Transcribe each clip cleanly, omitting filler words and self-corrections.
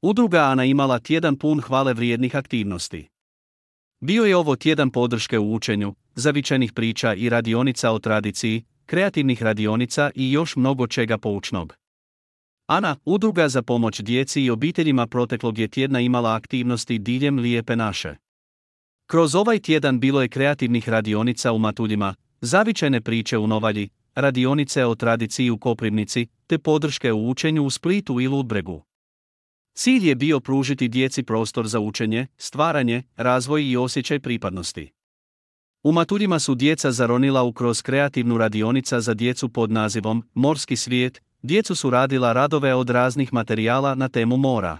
Udruga Ana imala tjedan pun hvale vrijednih aktivnosti. Bio je ovo tjedan podrške u učenju, zavičajnih priča i radionica o tradiciji, kreativnih radionica i još mnogo čega poučnog. Ana, udruga za pomoć djeci i obiteljima proteklog je tjedna imala aktivnosti diljem Lijepe naše. Kroz ovaj tjedan bilo je kreativnih radionica u Matuljima, zavičajne priče u Novalji, radionice o tradiciji u Koprivnici, te podrške u učenju u Splitu i Ludbregu. Cilj je bio pružiti djeci prostor za učenje, stvaranje, razvoj i osjećaj pripadnosti. U Matuljima su djeca zaronila kroz kreativnu radionica za djecu pod nazivom Morski svijet. Djecu su radila radove od raznih materijala na temu mora.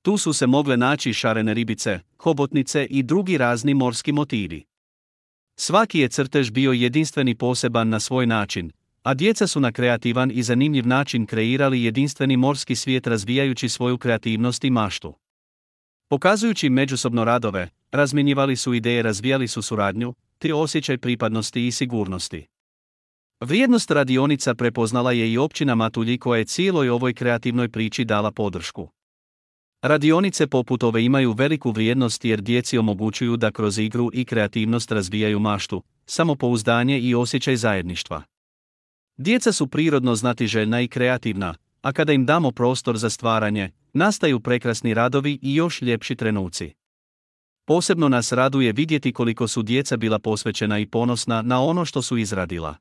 Tu su se mogle naći šarene ribice, hobotnice i drugi razni morski motivi. Svaki je crtež bio jedinstven i poseban na svoj način, a djeca su na kreativan i zanimljiv način kreirali jedinstveni morski svijet razvijajući svoju kreativnost i maštu. Pokazujući međusobno radove, razmjenjivali su ideje, razvijali su suradnju, te osjećaj pripadnosti i sigurnosti. Vrijednost radionica prepoznala je i općina Matulji koja je cijeloj ovoj kreativnoj priči dala podršku. Radionice poput ove imaju veliku vrijednost jer djeci omogućuju da kroz igru i kreativnost razvijaju maštu, samopouzdanje i osjećaj zajedništva. Djeca su prirodno znatiželjna i kreativna, a kada im damo prostor za stvaranje, nastaju prekrasni radovi i još ljepši trenuci. Posebno nas raduje vidjeti koliko su djeca bila posvećena i ponosna na ono što su izradila.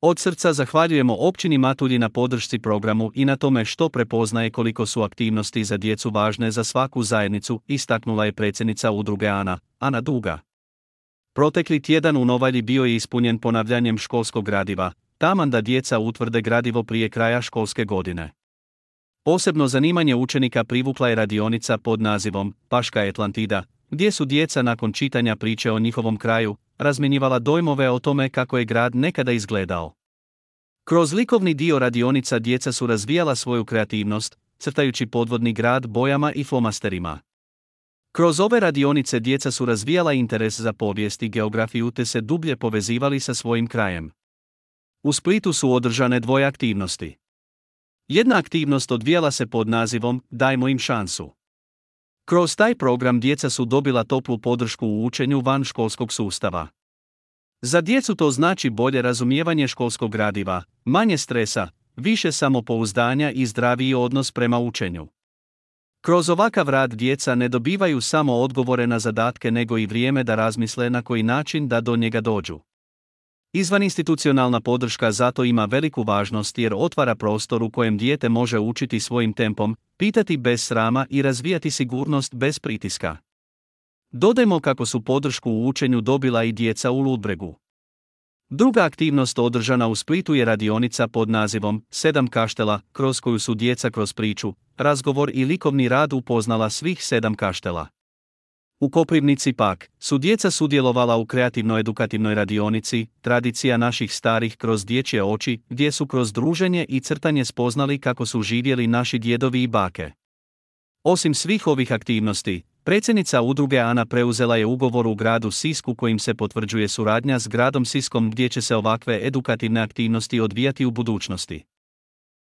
Od srca zahvaljujemo općini Matulji na podršci programu i na tome što prepoznaje koliko su aktivnosti za djecu važne za svaku zajednicu, istaknula je predsjednica udruge Ana Duga. Protekli tjedan u Novalji bio je ispunjen ponavljanjem školskog gradiva, taman da djeca utvrde gradivo prije kraja školske godine. Posebno zanimanje učenika privukla je radionica pod nazivom Paška Atlantida, gdje su djeca nakon čitanja priče o njihovom kraju razmjenjivala dojmove o tome kako je grad nekada izgledao. Kroz likovni dio radionica djeca su razvijala svoju kreativnost, crtajući podvodni grad bojama i flomasterima. Kroz ove radionice djeca su razvijala interes za povijest i geografiju te se dublje povezivali sa svojim krajem. U Splitu su održane dvoje aktivnosti. Jedna aktivnost odvijala se pod nazivom Dajmo im šansu. Kroz taj program djeca su dobila toplu podršku u učenju van školskog sustava. Za djecu to znači bolje razumijevanje školskog gradiva, manje stresa, više samopouzdanja i zdraviji odnos prema učenju. Kroz ovakav rad djeca ne dobivaju samo odgovore na zadatke nego i vrijeme da razmisle na koji način da do njega dođu. Izvaninstitucionalna podrška zato ima veliku važnost jer otvara prostor u kojem dijete može učiti svojim tempom, pitati bez srama i razvijati sigurnost bez pritiska. Dodajmo kako su podršku u učenju dobila i djeca u Ludbregu. Druga aktivnost održana u Splitu je radionica pod nazivom 7 kaštela, kroz koju su djeca kroz priču, razgovor i likovni rad upoznala svih 7 kaštela. U Koprivnici pak su djeca sudjelovala u kreativno-edukativnoj radionici Tradicija naših starih kroz dječje oči, gdje su kroz druženje i crtanje spoznali kako su živjeli naši djedovi i bake. Osim svih ovih aktivnosti, predsjednica udruge Ana preuzela je ugovor u gradu Sisku kojim se potvrđuje suradnja s gradom Siskom gdje će se ovakve edukativne aktivnosti odvijati u budućnosti.